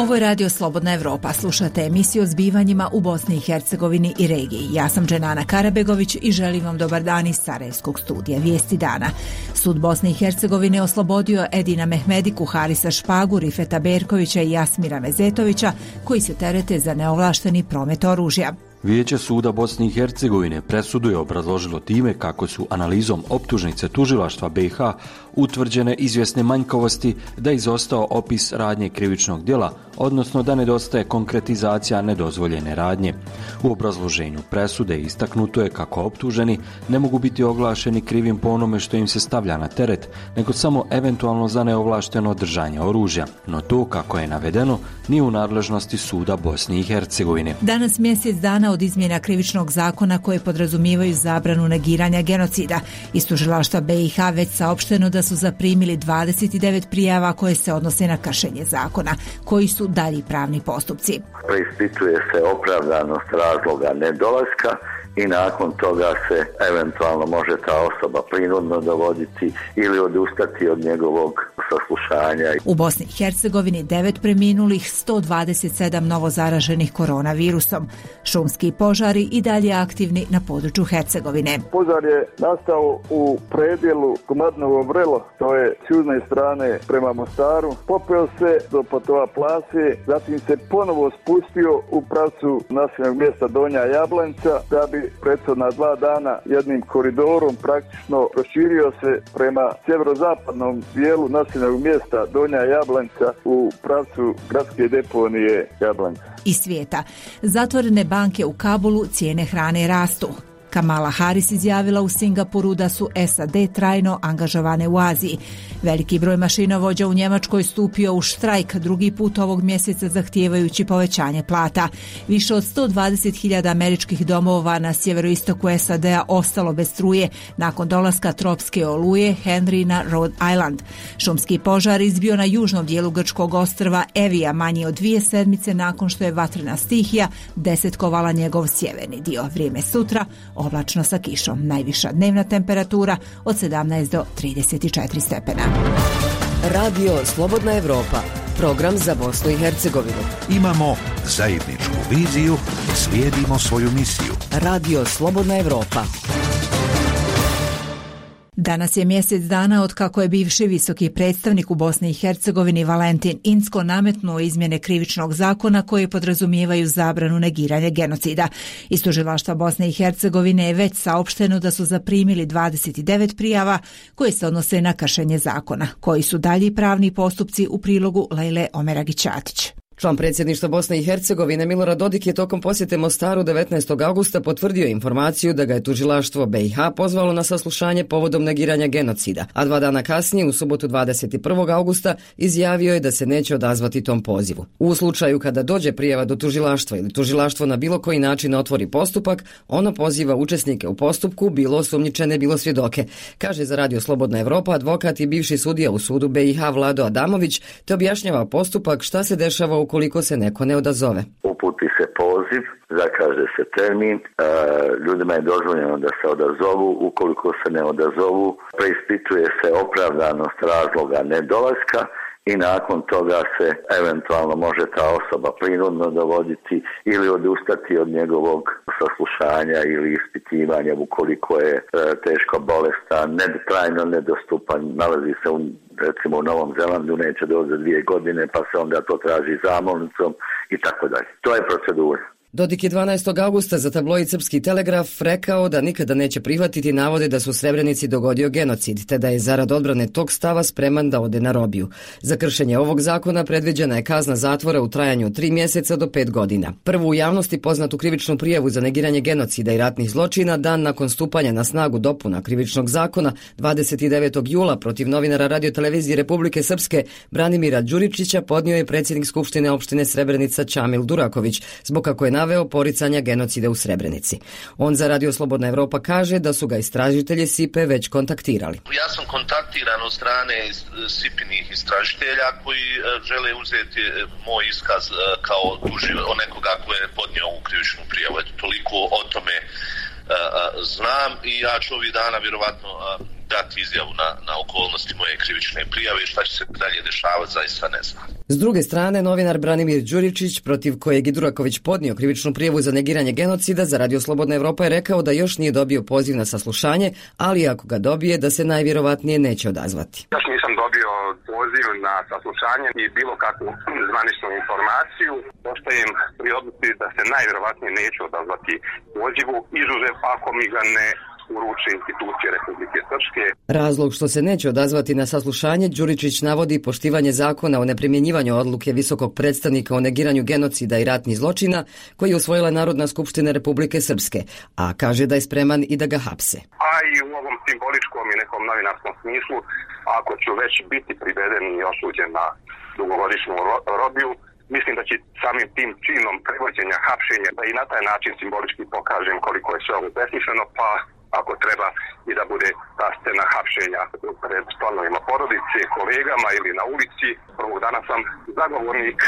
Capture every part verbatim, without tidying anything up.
Ovo je Radio Slobodna Evropa. Slušate emisiju o zbivanjima u Bosni i Hercegovini i regiji. Ja sam Dženana Karabegović i želim vam dobar dan iz Sarajevskog studija Vijesti dana. Sud Bosne i Hercegovine oslobodio Edina Mehmediku, Harisa Špagu, Rifeta Berkovića i Jasmira Mezetovića, koji se terete za neovlašteni promet oružja. Vijeće suda Bosne i Hercegovine presudu je obrazložilo time kako su analizom optužnice tužilaštva B iH utvrđene izvjesne manjkavosti, da je izostao opis radnje krivičnog djela, odnosno da nedostaje konkretizacija nedozvoljene radnje. U obrazloženju presude istaknuto je kako optuženi ne mogu biti oglašeni krivim po onome što im se stavlja na teret, nego samo eventualno za neovlašteno držanje oružja. No to, kako je navedeno, nije u nadležnosti suda Bosne i Hercegovine. Danas mjesec dana od izmjena krivičnog zakona koje podrazumijevaju zabranu negiranja genocida. Iz tužilaštva B iH već saopšteno da su zaprimili dvadeset devet prijava koje se odnose na kršenje zakona. Koji su dalji pravni postupci? Preispituje se opravdanost razloga nedolaska i nakon toga se eventualno može ta osoba prinudno dovoditi ili odustati od njegovog saslušanja. U Bosni i Hercegovini devet preminulih, sto dvadeset sedam novo zaraženih koronavirusom. Šumski požari i dalje aktivni na području Hercegovine. Požar je nastao u predjelu Komadnovo Vrelo, to je s južne strane prema Mostaru. Popeo se do Potova Plase, zatim se ponovo spustio u pravcu naseljenog mjesta Donja Jablanca, da bi prethodna dva dana jednim koridorom praktično proširio se prema sjeverozapadnom dijelu naseljenog mjesta Donja Jablanca u pravcu gradske deponije Jablanca. Iz svijeta. Zatvorene banke u Kabulu, cijene hrane rastu. Kamala Harris izjavila u Singapuru da su S A D trajno angažovane u Aziji. Veliki broj mašinovođa u Njemačkoj stupio u štrajk drugi put ovog mjeseca zahtijevajući povećanje plata. Više od sto dvadeset hiljada američkih domova na sjeveroistoku S A D-a ostalo bez struje nakon dolaska tropske oluje Henry na Rhode Island. Šumski požar izbio na južnom dijelu grčkog ostrva Evija manje od dvije sedmice nakon što je vatrena stihija desetkovala njegov sjeverni dio. Vrijeme sutra oblačno sa kišom. Najviša dnevna temperatura od sedamnaest do trideset četiri stepena. Radio Slobodna Evropa, program za Bosnu i Hercegovinu. Imamo zajedničku viziju, slijedimo svoju misiju. Radio Slobodna Evropa. Danas je mjesec dana od kako je bivši visoki predstavnik u Bosni i Hercegovini Valentin Incko nametnuo izmjene krivičnog zakona koje podrazumijevaju zabranu negiranja genocida. Iz tužilaštva Bosne i Hercegovine je već saopšteno da su zaprimili dvadeset devet prijava koje se odnose na kršenje zakona. Koji su dalji pravni postupci u prilogu Lejle Omeragić-Atić. Član predsjedništva Bosne i Hercegovine Milorad Dodik je tokom posjete Mostaru devetnaestog augusta potvrdio informaciju da ga je tužilaštvo B iH pozvalo na saslušanje povodom negiranja genocida, a dva dana kasnije, u subotu dvadeset prvog augusta, izjavio je da se neće odazvati tom pozivu. U slučaju kada dođe prijava do tužilaštva ili tužilaštvo na bilo koji način otvori postupak, ono poziva učesnike u postupku, bilo osumnjičene, bilo svjedoke, kaže za Radio Slobodna Evropa advokat i bivši sudija u sudu B iH Vlado Adamović, te objašnjava postupak šta se dešava u ukoliko se neko ne odazove. Uputi se poziv, zakaže se termin, e, ljudima je dozvoljeno da se odazovu, ukoliko se ne odazovu, preispituje se opravdanost razloga nedolaska i nakon toga se eventualno može ta osoba prinudno dovoditi ili odustati od njegovog saslušanja ili ispitivanja ukoliko je e, teško bolestan, ne, trajno nedostupan, nalazi se u recimo u Novom Zelandu, neće doći za dvije godine, pa se onda to traži zamolnicom i tako dalje. To je procedura. Dodik je dvanaestog augusta za tabloid Srpski telegraf rekao da nikada neće prihvatiti navode da su u Srebrenici dogodio genocid, te da je zarad odbrane tog stava spreman da ode na robiju. Za kršenje ovog zakona predviđena je kazna zatvora u trajanju od tri mjeseca do pet godina. Prvu u javnosti poznatu krivičnu prijavu za negiranje genocida i ratnih zločina dan nakon stupanja na snagu dopuna krivičnog zakona dvadeset devetog jula protiv novinara radiotelevizije Republike Srpske Branimira Đuričića podnio je predsjednik Skupštine opštine Srebrenica Čamil Duraković, zbog kako je naveo poricanja genocida u Srebrenici. On za Radio Slobodna Evropa kaže da su ga istražitelji S I P-e već kontaktirali. Ja sam kontaktiran od strane S I P-inih istražitelja koji žele uzeti moj iskaz kao tuživ od nekoga ko je podnio ovu krivičnu prijavu. Eto, toliko o tome znam i ja ću ovih dana vjerovatno dati izjavu na, na okolnosti moje krivične prijave i šta će se dalje dešavati, zaista ne znam. S druge strane, novinar Branimir Đuričić, protiv kojeg je Duraković podnio krivičnu prijavu za negiranje genocida, za Radio Slobodna Evropa je rekao da još nije dobio poziv na saslušanje, ali ako ga dobije, da se najvjerovatnije neće odazvati. Još nisam dobio poziv na saslušanje i bilo kakvu zvaničnu informaciju. Ostajem pri odluci da se najvjerovatnije neću odazvati pozivu, izuzev ako mi ga ne uruče institucije Republike Srpske. Razlog što se neće odazvati na saslušanje, Đuričić navodi poštivanje zakona o neprimjenjivanju odluke visokog predstavnika o negiranju genocida i ratnih zločina koji je usvojila Narodna skupština Republike Srpske, a kaže da je spreman i da ga hapse. A i u ovom simboličkom i nekom novinarskom smislu, ako ću već biti priveden i osuđen na dugogodišnju robiju, mislim da će samim tim činom prevođenja, hapšenja, da i na taj način simbolički pokažem koliko je sve ovo besmisleno, pa ako treba i da bude ta scena hapšenja pred članovima porodice, kolegama ili na ulici. Prvog dana sam zagovornik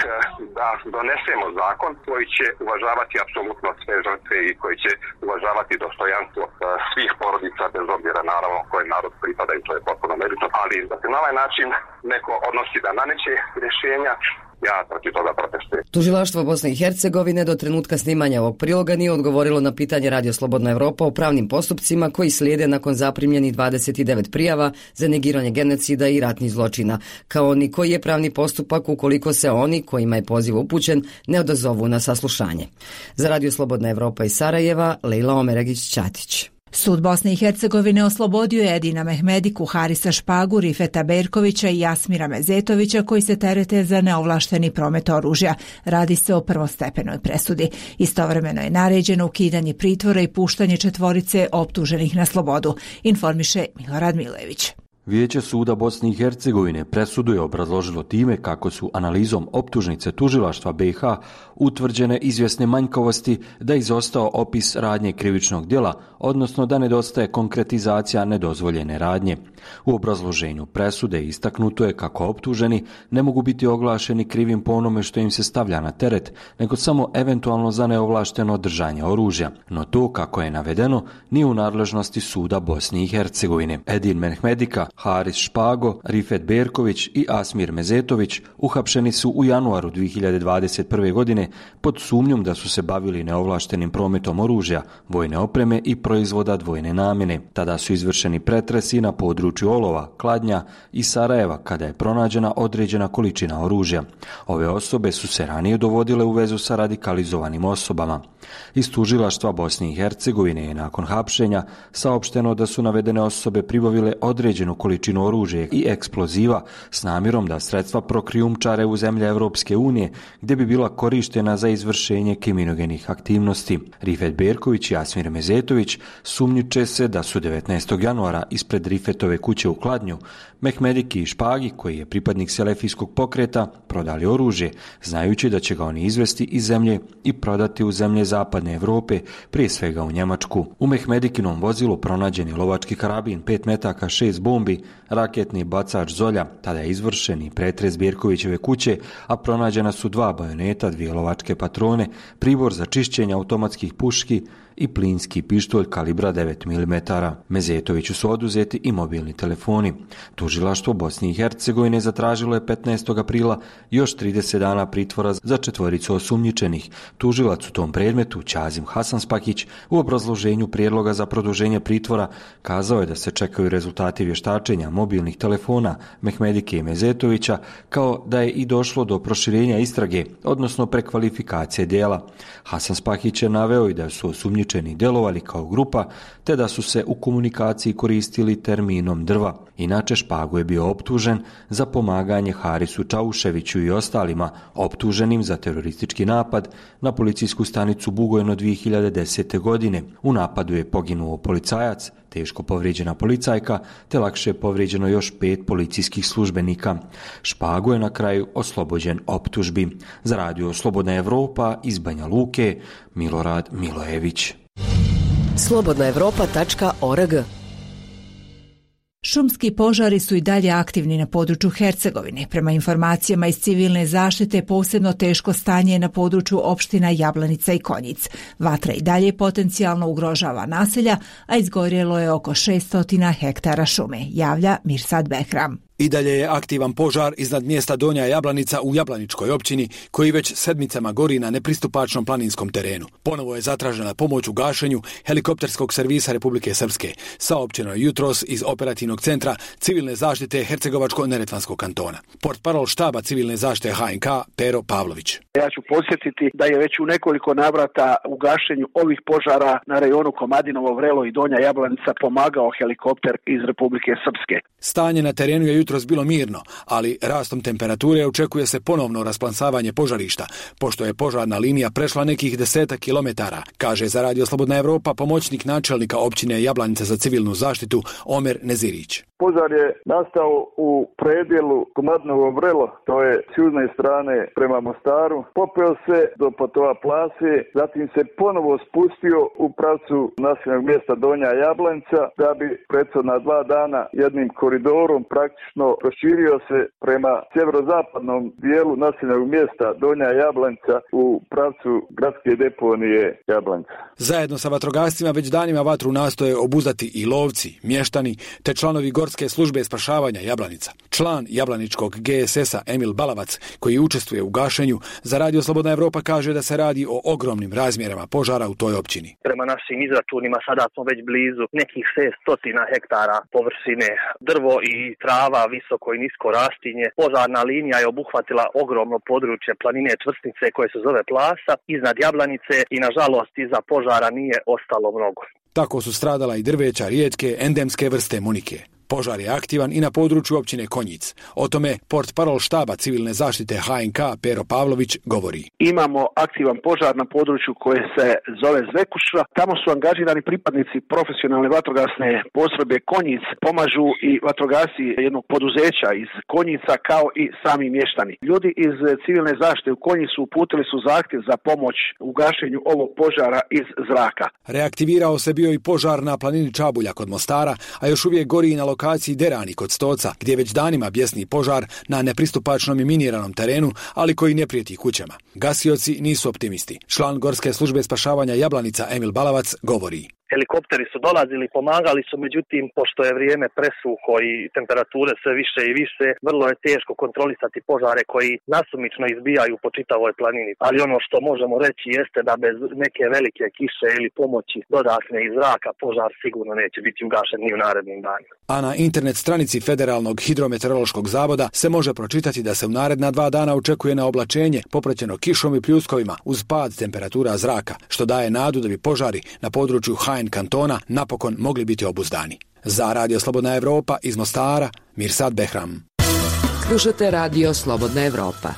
da donesemo zakon koji će uvažavati apsolutno sve žrtve i koji će uvažavati dostojanstvo svih porodica, bez obzira naravno koji narod pripada i to je potpuno nebitno, ali da se na ovaj način neko odnosi da naneće rješenja, ja protiv toga protestujem. Tužilaštvo Bosne i Hercegovine do trenutka snimanja ovog priloga nije odgovorilo na pitanje Radio Slobodna Evropa o pravnim postupcima koji slijede nakon zaprimljenih dvadeset devet prijava za negiranje genocida i ratnih zločina, kao ni koji je pravni postupak ukoliko se oni, kojima je poziv upućen, ne odazovu na saslušanje. Za Radio Slobodna Evropa iz Sarajeva, Lejla Omeregić-Ćatić. Sud Bosne i Hercegovine oslobodio je Edina Mehmediku, Harisa Špagu, Rifeta Berkovića i Jasmira Mezetovića koji se terete za neovlašteni promet oružja. Radi se o prvostepenoj presudi. Istovremeno je naređeno ukidanje pritvora i puštanje četvorice optuženih na slobodu, informiše Milorad Milević. Vijeće suda Bosne i Hercegovine presudu je obrazložilo time kako su analizom optužnice tužilaštva B i H utvrđene izvjesne manjkavosti, da je izostao opis radnje krivičnog djela, odnosno da nedostaje konkretizacija nedozvoljene radnje. U obrazloženju presude istaknuto je kako optuženi ne mogu biti oglašeni krivim po onome što im se stavlja na teret, nego samo eventualno za neovlašteno držanje oružja. No to, kako je navedeno, nije u nadležnosti suda Bosne i Hercegovine. Edin Mehmedika, Haris Špago, Rifet Berković i Asmir Mezetović uhapšeni su u januaru dvije hiljade dvadeset prve. godine pod sumnjom da su se bavili neovlaštenim prometom oružja, vojne opreme i proizvoda dvojne namjene. Tada su izvršeni pretresi na području Olova, Kladnja i Sarajeva kada je pronađena određena količina oružja. Ove osobe su se ranije dovodile u vezu sa radikalizovanim osobama. Iz tužilaštva Bosne i Hercegovine je nakon hapšenja saopšteno da su navedene osobe pribavile određenu količinu oružja i eksploziva s namjerom da sredstva prokrijumčare u zemlje Evropske unije gdje bi bila korištena za izvršenje kriminogenih aktivnosti. Rifet Berković i Jasmir Mezetović sumnjiče se da su devetnaestog januara ispred Rifetove kuće u Kladnju Mehmediki i Špagi, koji je pripadnik selefijskog pokreta, prodali oružje, znajući da će ga oni izvesti iz zemlje i prodati u zemlje zapadne Europe, prije svega u Njemačku. U Mehmedikinom vozilu pronađeni lovački karabin, pet metaka, šest bombi, raketni bacač Zolja, tada je izvršeni pretres Berkovićeve kuće, a pronađena su dva bajoneta, dvije lovačke patrone, pribor za čišćenje automatskih puški i plinski pištolj kalibra devet milimetara. Mezetoviću su oduzeti i mobilni telefoni. Tužilaštvo Bosne i Hercegovine zatražilo je petnaestog aprila još trideset dana pritvora za četvoricu osumnjičenih. Tužilac u tom predmetu, Ćazim Hasanspakić, u obrazloženju prijedloga za produženje pritvora kazao je da se čekaju rezultati vještačenja mobilnih telefona Mehmedike i Mezetovića, kao da je i došlo do proširenja istrage, odnosno prekvalifikacije djela. Hasanspakić je naveo i da su osumnjičeni djelovali kao grupa, te da su se u komunikaciji koristili terminom drva. Inače, Špago je bio optužen za pomaganje Harisu Čauševiću i ostalima optuženim za teroristički napad na policijsku stanicu Bugojno dvije hiljade desete. godine. U napadu je poginuo policajac, teško povrijeđena policajka, te lakše povrijeđeno još pet policijskih službenika. Špago je na kraju oslobođen optužbi. Za Radio Slobodna Evropa iz Banja Luke, Milorad Milojević. slobodna evropa tačka org Šumski požari su i dalje aktivni na području Hercegovine. Prema informacijama iz civilne zaštite, posebno teško stanje je na području opština Jablanica i Konjic. Vatra i dalje potencijalno ugrožava naselja, a izgorjelo je oko šesto hektara šume, javlja Mirsad Behram. I dalje je aktivan požar iznad mjesta Donja Jablanica u Jablaničkoj općini, koji već sedmicama gori na nepristupačnom planinskom terenu. Ponovo je zatražena pomoć u gašenju helikopterskog servisa Republike Srpske, saopćeno je jutros iz operativnog centra civilne zaštite Hercegovačko-Neretvanskog kantona. Portparol štaba civilne zaštite H N K Pero Pavlović. Ja ću podsjetiti da je već u nekoliko navrata u gašenju ovih požara na rejonu Komadinovo Vrelo i Donja Jablanica pomagao helikopter iz Republike Srpske. Stanje na terenu je jutros bilo mirno, ali rastom temperature očekuje se ponovno rasplansavanje požarišta, pošto je požarna linija prešla nekih desetak kilometara, kaže za Radio Slobodna Evropa pomoćnik načelnika općine Jablanica za civilnu zaštitu Omer Nezirić. Požar je nastao u predjelu Komadinovo Vrelo, to je s južne strane prema Mostaru, popeo se do Patova Plase, zatim se ponovo spustio u pravcu naseljenog mjesta Donja Jablanica, da bi prethodna dva dana jednim koridorom praktično proširio se prema sjeverozapadnom dijelu naseljenog mjesta Donja Jablanica u pravcu gradske deponije Jablanica. Zajedno sa vatrogascima već danima vatru nastoje obuzdati i lovci, mještani te članovi Gorske službe spašavanja Jablanica. Član Jablaničkog G S S-a Emil Balavac, koji učestvuje u gašenju, za Radio Slobodna Evropa kaže da se radi o ogromnim razmjerama požara u toj općini. Prema našim izračunima sada smo već blizu nekih šesto hektara površine, drvo i trava, visoko i nisko rastinje. Požarna linija je obuhvatila ogromno područje planine Čvrsnice koje se zove Plasa iznad Jablanice i nažalost iza požara nije ostalo mnogo. Tako su stradala i drveća rijetke endemske vrste munike. Požar je aktivan i na području općine Konjic. O tome portparol štaba civilne zaštite H N K Pero Pavlović govori. Imamo aktivan požar na području koje se zove Zvekuša. Tamo su angažirani pripadnici profesionalne vatrogasne postrojbe Konjic. Pomažu i vatrogasci jednog poduzeća iz Konjica kao i sami mještani. Ljudi iz civilne zaštite u Konjicu uputili su zahtjev za pomoć u gašenju ovog požara iz zraka. Reaktivirao se bio i požar na planini Čabulja kod Mostara, a još uvijek gori i na lokaciji Derani kod Stoca, gdje već danima bjesni požar na nepristupačnom i miniranom terenu, ali koji ne prijeti kućama. Gasioci nisu optimisti. Član Gorske službe spašavanja Jablanica Emil Balavac govori. Helikopteri su dolazili, pomagali su, međutim, pošto je vrijeme presuho i temperature sve više i više, vrlo je teško kontrolisati požare koji nasumično izbijaju po čitavoj planini. Ali ono što možemo reći jeste da bez neke velike kiše ili pomoći dodatne iz zraka požar sigurno neće biti ugašen ni u narednim danima. A na internet stranici Federalnog hidrometeorološkog zavoda se može pročitati da se u naredna dva dana očekuje na oblačenje popraćeno kišom i pljuskovima uz pad temperatura zraka, što daje nadu da bi požari na području H N kantona napokon mogli biti obuzdani. Za Radio Slobodna Evropa iz Mostara, Mirsad Behram. Slušate Radio Slobodna Evropa.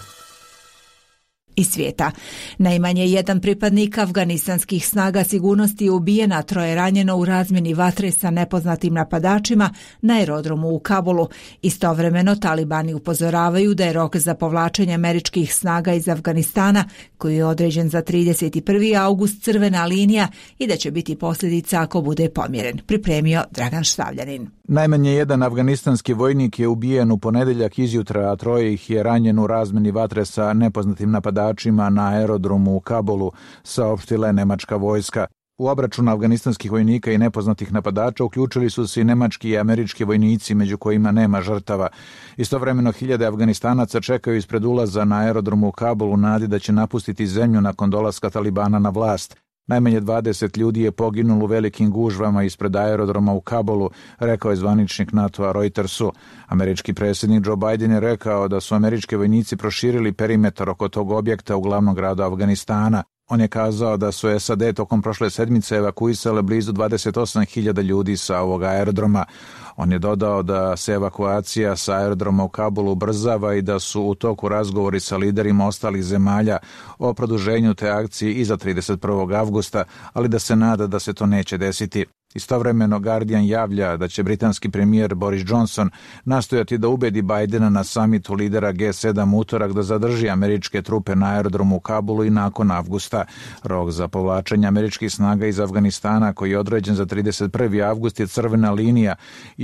Iz svijeta. Najmanje jedan pripadnik afganistanskih snaga sigurnosti je ubijen, a troje ranjeno u razmjeni vatre sa nepoznatim napadačima na aerodromu u Kabulu. Istovremeno talibani upozoravaju da je rok za povlačenje američkih snaga iz Afganistana, koji je određen za trideset prvi august, crvena linija i da će biti posljedica ako bude pomjeren. Pripremio Dragan Štavljanin. Najmanje jedan afganistanski vojnik je ubijen u ponedjeljak izjutra, a troje ih je ranjeno u razmjeni vatre sa nepoznatim napadačima na aerodromu u Kabulu, saopštila je nemačka vojska. U obračunu afganistanskih vojnika i nepoznatih napadača uključili su se i nemački i američki vojnici, među kojima nema žrtava. Istovremeno hiljade Afganistanaca čekaju ispred ulaza na aerodromu u Kabulu nadi da će napustiti zemlju nakon dolaska talibana na vlast. Najmanje dvadeset ljudi je poginulo u velikim gužvama ispred aerodroma u Kabulu, rekao je zvaničnik NATO-a Reutersu. Američki predsjednik Joe Biden je rekao da su američki vojnici proširili perimetar oko tog objekta u glavnom gradu Afganistana. On je kazao da su S A D tokom prošle sedmice evakuisale blizu dvadeset osam hiljada ljudi sa ovog aerodroma. On je dodao da se evakuacija sa aerodroma u Kabulu ubrzava i da su u toku razgovori sa liderima ostalih zemalja o produženju te akcije iza trideset prvog avgusta, ali da se nada da se to neće desiti. Istovremeno Guardian javlja da će britanski premijer Boris Johnson nastojati da ubedi Bidena na samitu lidera G sedam utorak da zadrži američke trupe na aerodromu u Kabulu i nakon avgusta. Rok za povlačenje američkih snaga iz Afganistana, koji je određen za trideset prvi avgust, je crvena linija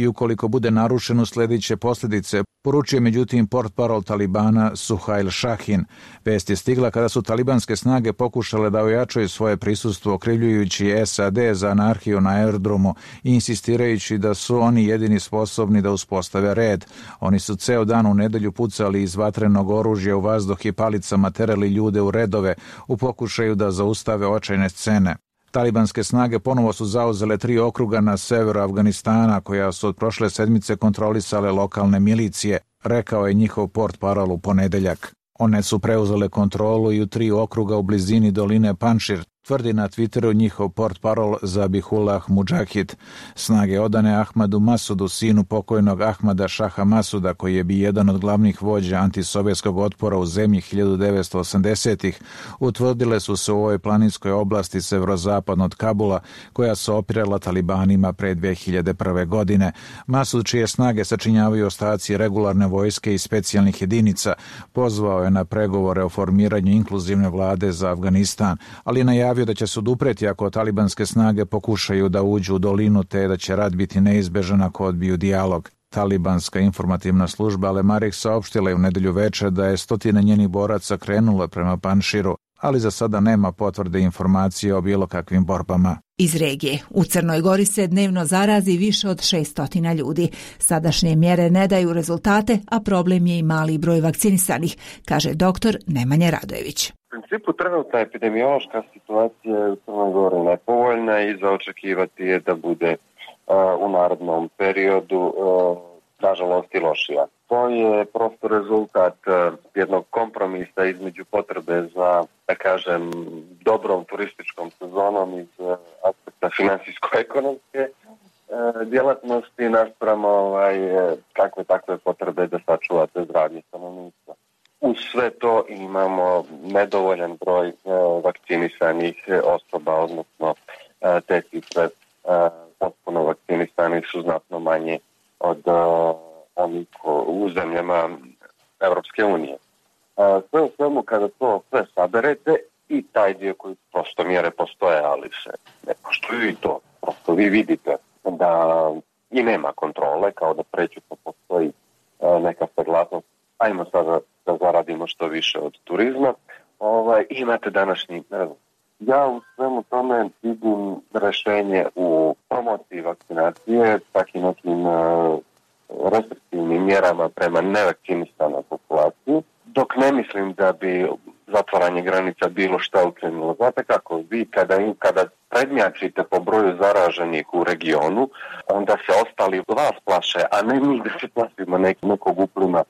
i ukoliko bude narušen usledit će posljedice, poručuje međutim portparol Talibana Suhail Shahin. Vest je stigla kada su talibanske snage pokušale da ojačaju svoje prisustvo okrivljujući S A D za anarhiju na aerodromu i insistirajući da su oni jedini sposobni da uspostave red. Oni su ceo dan u nedelju pucali iz vatrenog oružja u vazduh i palicama terali ljude u redove u pokušaju da zaustave očajne scene. Talibanske snage ponovo su zauzele tri okruga na severu Afganistana koja su od prošle sedmice kontrolisale lokalne milicije, rekao je njihov portparol u ponedeljak. One su preuzele kontrolu i u tri okruga u blizini doline Panšir, tvrdi na Twitteru njihov portparol Zabihullah Mudžahid. Snage odane Ahmadu Masudu, sinu pokojnog Ahmada Šaha Masuda, koji je bio jedan od glavnih vođa antisovjetskog otpora u zemlji hiljadu devetsto osamdesetih, utvrdile su se u ovoj planinskoj oblasti severozapadno od Kabula, koja se opirala talibanima pre dve hiljade prve. godine. Masud, čije snage sačinjavaju ostaci regularne vojske i specijalnih jedinica, pozvao je na pregovore o formiranju inkluzivne vlade za Afganistan, ali najavio da će se odupreti ako talibanske snage pokušaju da uđu u dolinu, te da će rat biti neizbežan ako odbiju dijalog. Talibanska informativna služba Al-Marik saopštila je u nedelju večer da je stotine njenih boraca krenulo prema Panširu, ali za sada nema potvrde informacije o bilo kakvim borbama. Iz regije. U Crnoj Gori se dnevno zarazi više od šesto ljudi. Sadašnje mjere ne daju rezultate, a problem je i mali broj vakcinisanih, kaže doktor Nemanja Radojević. U principu trenutna epidemiološka situacija je u Crnoj Gori nepovoljna i za očekivati je da bude uh, u narednom periodu uh, nažalost i lošija. To je prosto rezultat uh, jednog kompromisa između potrebe za, da kažem, dobrom turističkom sezonom iz uh, aspekta finansijsko-ekonomske uh, djelatnosti naspram ovaj, kakve takve potrebe da sačuvate zdravlje stanovništva. Uz sve to imamo nedovoljan broj e, vakcinisanih osoba, odnosno e, te cifre e, potpuno vakcinisanih su znatno manje od e, onih u zemljama Evropske unije. E, sve u svemu kada to sve saberete i taj dio koji prosto mjere postoje, ali se ne poštuju i to. Prosto vi vidite da i nema kontrole, kao da prećutno postoji e, neka saglasnost. Ajmo sada da zaradimo što više od turizma. Ovaj, imate današnji rezultat. Ja u svemu tome vidim rešenje u promociji vakcinacije, čak i nekim uh, restriktivnim mjerama prema nevakcinisanoj populaciji, dok ne mislim da bi zatvaranje granica bilo šta ukrenulo. Znate kako, vi kada, kada prednjačite po broju zaraženih u regionu, onda se ostali vas plaše, a ne mi da se plašimo nek, nekog uplima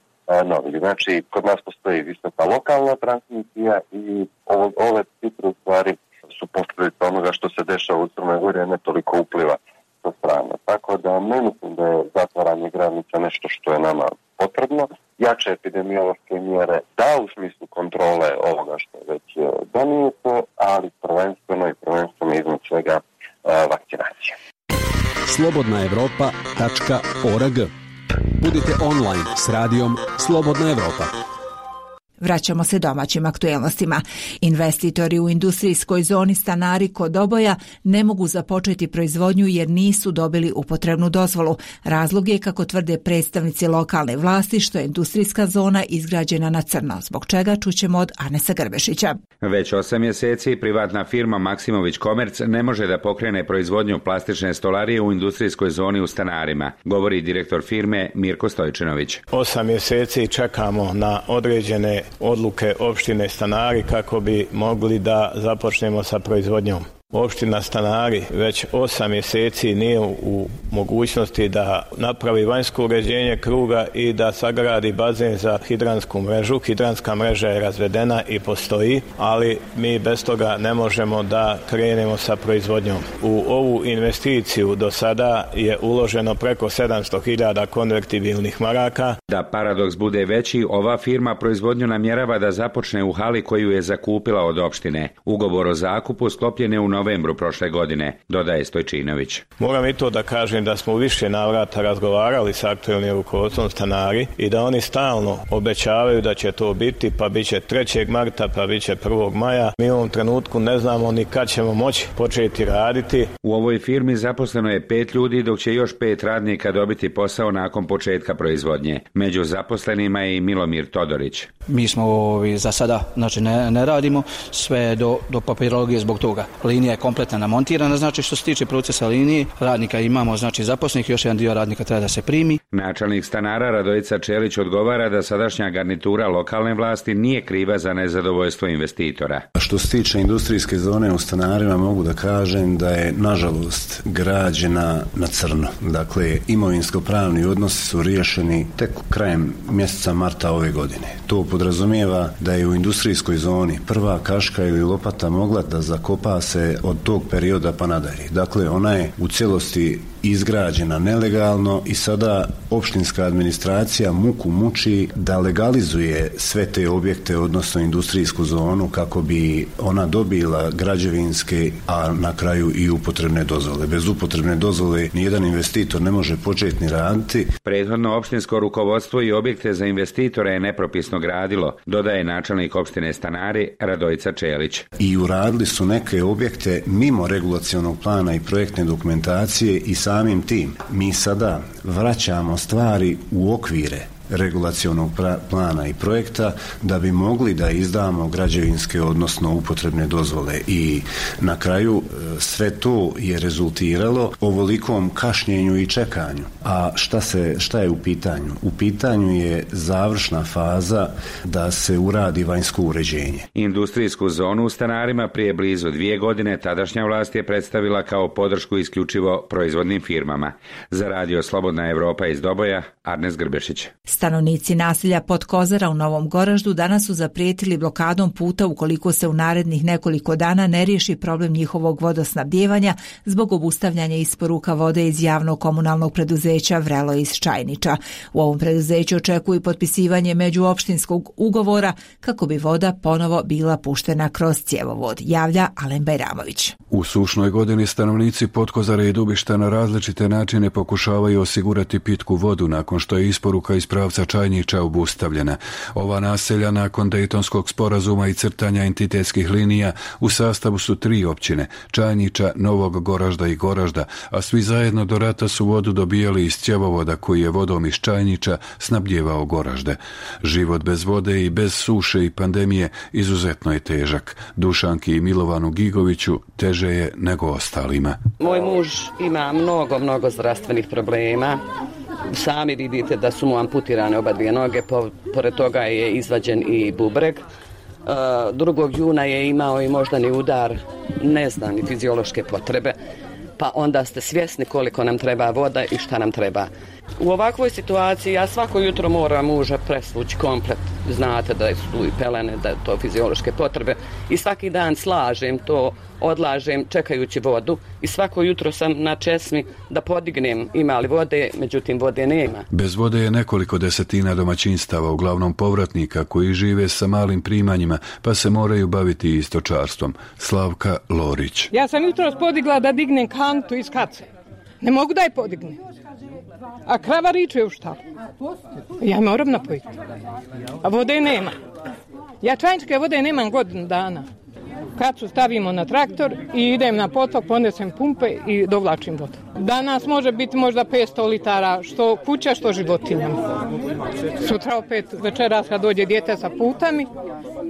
novi. Znači, kod nas postoji visoka lokalna transmisija i ovo, ove cifre u stvari su posljedica onoga što se dešava u Crnoj Gori, a ne toliko upliva sa strane. Tako da ne mislim da je zatvaranje granica nešto što je nama potrebno. Jače epidemiološke mjere da u smislu kontrole ovoga što je već donijeto, ali prvenstveno i prvenstveno iznad svega vakcinacija. slobodna evropa tačka org. Budite online s radijom Slobodna Evropa. Vraćamo se domaćim aktuelnostima. Investitori u industrijskoj zoni Stanari kod Oboja ne mogu započeti proizvodnju jer nisu dobili upotrebnu dozvolu. Razlog je, kako tvrde predstavnici lokalne vlasti, što je industrijska zona izgrađena na crno, zbog čega čućemo od Anesa Grbešića. Već osam mjeseci privatna firma Maksimović Komerc ne može da pokrene proizvodnju plastične stolarije u industrijskoj zoni u Stanarima, govori direktor firme Mirko Stojčinović. Osam mjeseci čekamo na određene odluke opštine Stanari kako bi mogli da započnemo sa proizvodnjom. Opština Stanari već osam mjeseci nije u mogućnosti da napravi vanjsko uređenje kruga i da sagradi bazen za hidransku mrežu. Hidranska mreža je razvedena i postoji, ali mi bez toga ne možemo da krenemo sa proizvodnjom. U ovu investiciju do sada je uloženo preko sedamsto hiljada konvertibilnih maraka. Da paradoks bude veći, ova firma proizvodnju namjerava da započne u hali koju je zakupila od opštine. Ugovor o zakupu sklopljen je u novembru prošle godine, dodaje Stojčinović. Moram i to da kažem da smo u više navrata razgovarali sa aktuelnim rukovodstvom stanari i da oni stalno obećavaju da će to biti, pa bit će trećeg marta, pa bit će prvog maja. Mi u ovom trenutku ne znamo ni kad ćemo moći početi raditi. U ovoj firmi zaposleno je pet ljudi, dok će još pet radnika dobiti posao nakon početka proizvodnje. Među zaposlenima je i Milomir Todorić. Mi smo ovi, za sada znači ne, ne radimo sve do, do papirologije zbog toga. Linija je kompletno namontirana, znači što se tiče procesa linije, radnika imamo znači zaposlenih, još jedan dio radnika treba da se primi. Načelnik stanara Radojica Čelić odgovara da sadašnja garnitura lokalne vlasti nije kriva za nezadovoljstvo investitora. Što se tiče industrijske zone u stanarima, mogu da kažem da je nažalost građena na crno. Dakle, imovinsko-pravni odnosi su riješeni tek krajem mjeseca marta ove godine. To podrazumijeva da je u industrijskoj zoni prva kaška ili lopata mogla da zakopa se od tog perioda pa nadalje. Dakle, ona je u cijelosti izgrađena nelegalno i sada opštinska administracija muku muči da legalizuje sve te objekte, odnosno industrijsku zonu, kako bi ona dobila građevinske, a na kraju i upotrebne dozvole. Bez upotrebne dozvole nijedan investitor ne može početi ni raditi. Prethodno opštinsko rukovodstvo i objekte za investitore je nepropisno gradilo, dodaje načelnik opštine Stanari Radojica Čelić. I uradili su neke objekte mimo regulacionog plana i projektne dokumentacije i samim tim mi sada vraćamo stvari u okvire regulacionog plana i projekta da bi mogli da izdamo građevinske, odnosno upotrebne dozvole, i na kraju sve to je rezultiralo ovolikom kašnjenju i čekanju. A šta se, šta je u pitanju? U pitanju je završna faza da se uradi vanjsko uređenje. Industrijsku zonu u Stanarima prije blizu dvije godine tadašnja vlast je predstavila kao podršku isključivo proizvodnim firmama. Za radio Slobodna Evropa iz Doboja, Arnes Grbešić. Stanovnici naselja Podkozara u Novom Goraždu danas su zaprijetili blokadom puta ukoliko se u narednih nekoliko dana ne riješi problem njihovog vodosnabdijevanja zbog obustavljanja isporuka vode iz javnog komunalnog preduzeća Vrelo iz Čajniča. U ovom preduzeću očekuju potpisivanje međuopštinskog ugovora kako bi voda ponovo bila puštena kroz cjevovod, javlja Alen Bajramović. U sušnoj godini stanovnici Podkozara i Dubišta na različite načine pokušavaju osigurati pitku vodu nakon što je isporuka iz pravca Čajniča obustavljena. Ova naselja nakon Dejtonskog sporazuma i crtanja entitetskih linija u sastavu su tri općine, Čajniča, Novog Goražda i Goražda, a svi zajedno do rata su vodu dobijali iz cjevovoda koji je vodom iz Čajniča snabdjevao Goražde. Život bez vode i bez suše i pandemije izuzetno je težak. Dušanki i Milovanu Gigoviću teže je nego ostalima. Moj muž ima mnogo, mnogo zdravstvenih problema. Sami vidite da su mu amputirane oba dvije noge, pored toga je izvađen i bubreg. Drugog juna je imao i moždani udar, ne znam, ni fiziološke potrebe, pa onda ste svjesni koliko nam treba voda i šta nam treba. U ovakvoj situaciji ja svako jutro moram muža presvući komplet. Znate da su tu i pelene, da je to fiziološke potrebe, i svaki dan slažem to, odlažem čekajući vodu i svako jutro sam na česmi da podignem ima li vode, međutim vode nema. Bez vode je nekoliko desetina domaćinstava, uglavnom povratnika koji žive sa malim primanjima pa se moraju baviti i stočarstvom. Slavka Lorić. Ja sam jutros podigla da dignem kantu iz kace. Ne mogu da je podignem. A krava riče u štalu. Ja moram napojiti. A vode nema. Ja čajničke vode nemam godinu dana. Kacu stavimo na traktor i idem na potok, ponesem pumpe i dovlačim vodu. Danas može biti možda petsto litara, što kuća, što životinjama. Sutra opet večeras kad dođe dijete sa putami,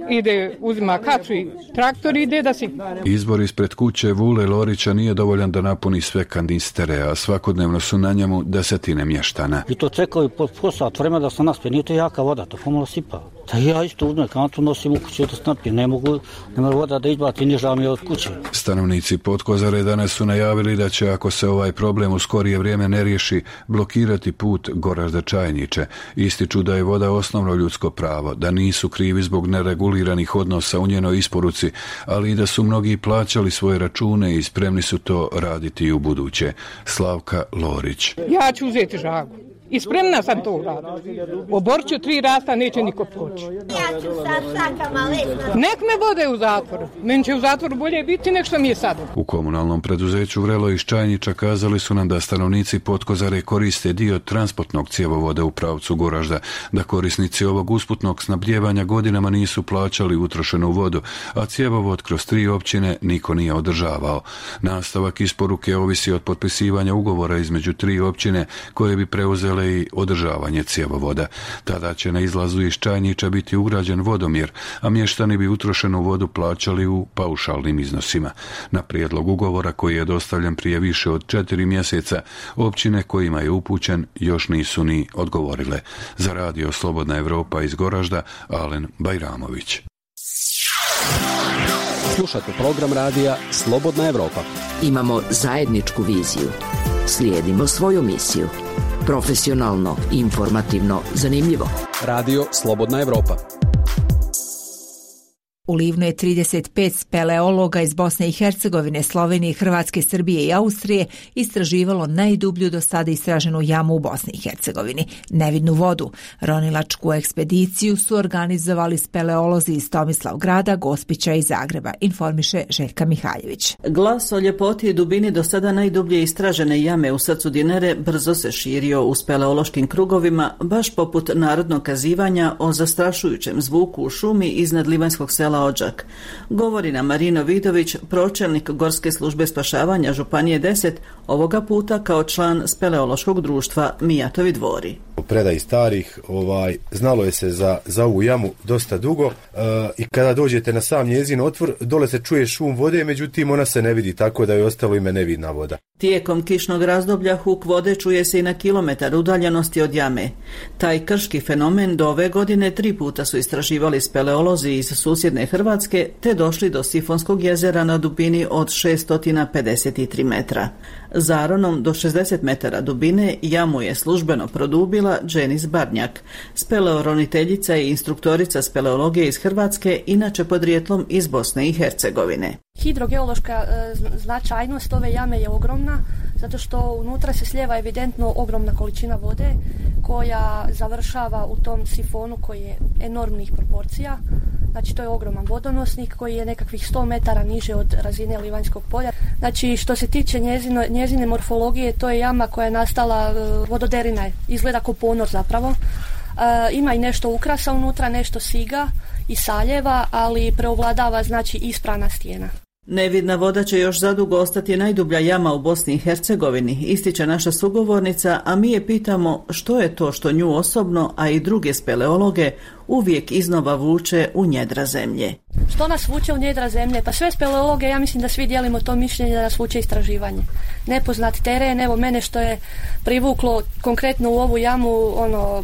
ide, uzima kacu i traktor ide da si... Izbor ispred kuće Vule Lorića nije dovoljan da napuni sve kanistere, a svakodnevno su na njemu desetine mještana. I to čekaju po, po sat vremena da se naspije, nije to jaka voda, to pomalo sipa. Da ja isto uzmem kantu, nosim u kuću da se napije, ne mogu, nema voda da izbati, niža mi od kuće. Stanovnici Podkozare danas su najavili da će, ako se ovaj problem u skorije vrijeme ne riješi, blokirati put Goražda Čajniče. Ističu da je voda osnovno ljudsko pravo, da nisu krivi zbog nereguliranih odnosa u njenoj isporuci, ali i da su mnogi plaćali svoje račune i spremni su to raditi i u buduće. Slavka Lorić. Ja ću uzeti žagu. I spremna sam to uraditi. U Borču tri rasta neće niko proći. Ja ću sa šakama lesna. Nek me vode u zatvoru. Meni će u zatvoru bolje biti nek što mi je sad. U komunalnom preduzeću Vrelo iz Čajnića kazali su nam da stanovnici Potkozare koriste dio transportnog cjevovoda u pravcu Goražda, da korisnici ovog usputnog snabdjevanja godinama nisu plaćali utrošenu vodu, a cjevovod kroz tri općine niko nije održavao. Nastavak isporuke ovisi od potpisivanja ugovora između tri općine koje bi preuzele i održavanje cjevovoda. Tada će na izlazu iz Čajnića biti ugrađen vodomjer, a mještani bi utrošenu vodu plaćali u paušalnim iznosima. Na prijedlog ugovora koji je dostavljen prije više od četiri mjeseca, općine kojima je upućen još nisu ni odgovorile. Za radio Slobodna Evropa iz Goražda, Alen Bajramović. Slušate program radija Slobodna Evropa. Imamo zajedničku viziju. Slijedimo svoju misiju. Profesionalno, informativno, zanimljivo. Radio Slobodna Evropa. U Livnu je trideset pet speleologa iz Bosne i Hercegovine, Slovenije, Hrvatske, Srbije i Austrije istraživalo najdublju do sada istraženu jamu u Bosni i Hercegovini, nevidnu vodu. Ronilačku ekspediciju su organizovali speleolozi iz Tomislavgrada, Gospića i Zagreba, informiše Željka Mihajlović. Glas o ljepoti i dubini do sada najdublje istražene jame u srcu Dinare brzo se širio u speleološkim krugovima, baš poput narodnog kazivanja o zastrašujućem zvuku u šumi iznad livanjskog sela Odžak. Govori nam Marino Vidović, pročelnik Gorske službe spašavanja Županije deset, ovoga puta kao član speleološkog društva Mijatovi dvori. U predaji starih ovaj, znalo je se za, za ovu jamu dosta dugo e, i kada dođete na sam njezin otvor, dole se čuje šum vode, međutim ona se ne vidi, tako da je ostalo ime nevidna voda. Tijekom kišnog razdoblja huk vode čuje se i na kilometar udaljenosti od jame. Taj krški fenomen do ove godine tri puta su istraživali speleolozi iz susjedne Hrvatske te došli do Sifonskog jezera na dubini od šest pedeset tri metra. Zaronom do šezdeset metara dubine jamu je službeno produbila Dženis Barnjak, speleoroniteljica i instruktorica speleologije iz Hrvatske, inače podrijetlom iz Bosne i Hercegovine. Hidrogeološka e, značajnost ove jame je ogromna, zato što unutra se slijeva evidentno ogromna količina vode koja završava u tom sifonu koji je enormnih proporcija. Znači to je ogroman vodonosnik koji je nekakvih sto metara niže od razine Livanjskog polja. Znači što se tiče njezino, njezine morfologije, to je jama koja je nastala, vododerina je, izgleda kao ponor zapravo. E, ima i nešto ukrasa unutra, nešto siga i saljeva, ali preovladava znači ispravna stijena. Nevidna voda će još zadugo ostati najdublja jama u Bosni i Hercegovini, ističe naša sugovornica, a mi je pitamo što je to što nju osobno, a i druge speleologe, uvijek iznova vuče u njedra zemlje. Što nas vuče u njedra zemlje? Pa sve speleologe, ja mislim da svi dijelimo to mišljenje da nas vuče istraživanje. Nepoznat teren, evo mene što je privuklo konkretno u ovu jamu, ono,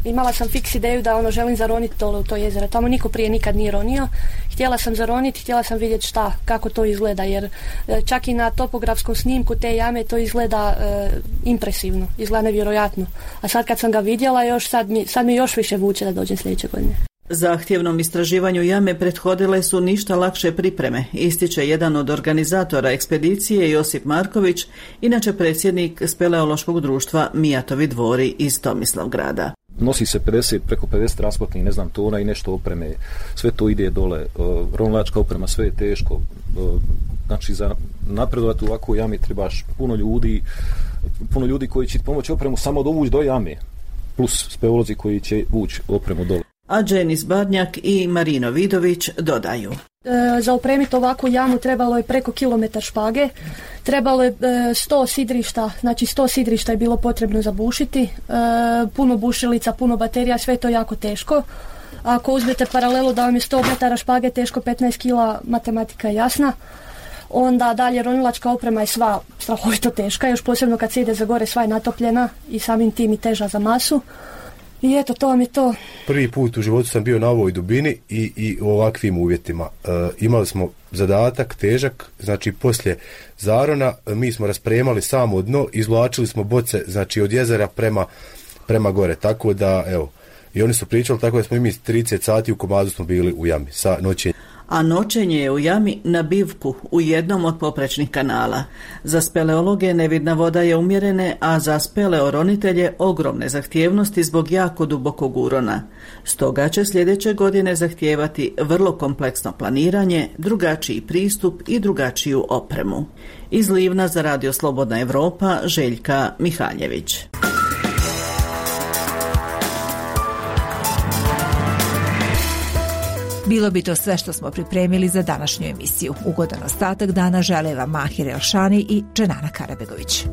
imala sam fiks ideju da ono želim zaroniti dole u to jezero. Tamo niko prije nikad nije ronio. Htjela sam zaroniti, htjela sam vidjeti šta, kako to izgleda, jer čak i na topografskom snimku te jame to izgleda e, impresivno, izgleda nevjerojatno. A sad kad sam ga vidjela, još sad mi, sad mi još više vuče da dođem sljedeće godine. Zahtjevnom istraživanju jame prethodile su ništa lakše pripreme, ističe jedan od organizatora ekspedicije Josip Marković, inače predsjednik speleološkog društva Mijatovi dvori iz Tomislavgrada. Nosi se pedeset, preko pedeset transportnih, ne znam, tona i nešto opreme, sve to ide dole, uh, ronilačka oprema, sve je teško, uh, znači za napredovati u ovakvoj jami trebaš puno ljudi, puno ljudi koji će pomoći opremu samo dovući do jame, plus speleolozi koji će vući opremu dole. A Dženis Barnjak i Marino Vidović dodaju. E, za opremiti ovakvu jamu trebalo je preko kilometar špage, trebalo je e, sto sidrišta, znači sto sidrišta je bilo potrebno zabušiti, e, puno bušilica, puno baterija, sve to jako teško. Ako uzmete paralelu da vam je sto metara špage teško petnaest kila, matematika je jasna. Onda dalje ronilačka oprema je sva strahovito teška, još posebno kad se ide za gore sva je natopljena i samim tim i teža za masu. I eto, to vam je to. Prvi put u životu sam bio na ovoj dubini i, i u ovakvim uvjetima. E, imali smo zadatak težak, znači poslije zarona mi smo raspremali samo dno, izvlačili smo boce, znači od jezera prema, prema gore, tako da evo, i oni su pričali tako da smo i mi trideset sati u komadu smo bili u jami sa noćenjem. a noćenje je u jami na bivku u jednom od poprečnih kanala. Za speleologe nevidna voda je umjerene, a za speleoronitelje ogromne zahtjevnosti zbog jako dubokog urona. Stoga će sljedeće godine zahtijevati vrlo kompleksno planiranje, drugačiji pristup i drugačiju opremu. Iz Livna za Radio Slobodna Evropa, Željka Mihaljević. Bilo bi to sve što smo pripremili za današnju emisiju. Ugodan ostatak dana žele vam Mahir Elšani i Dženana Karabegović.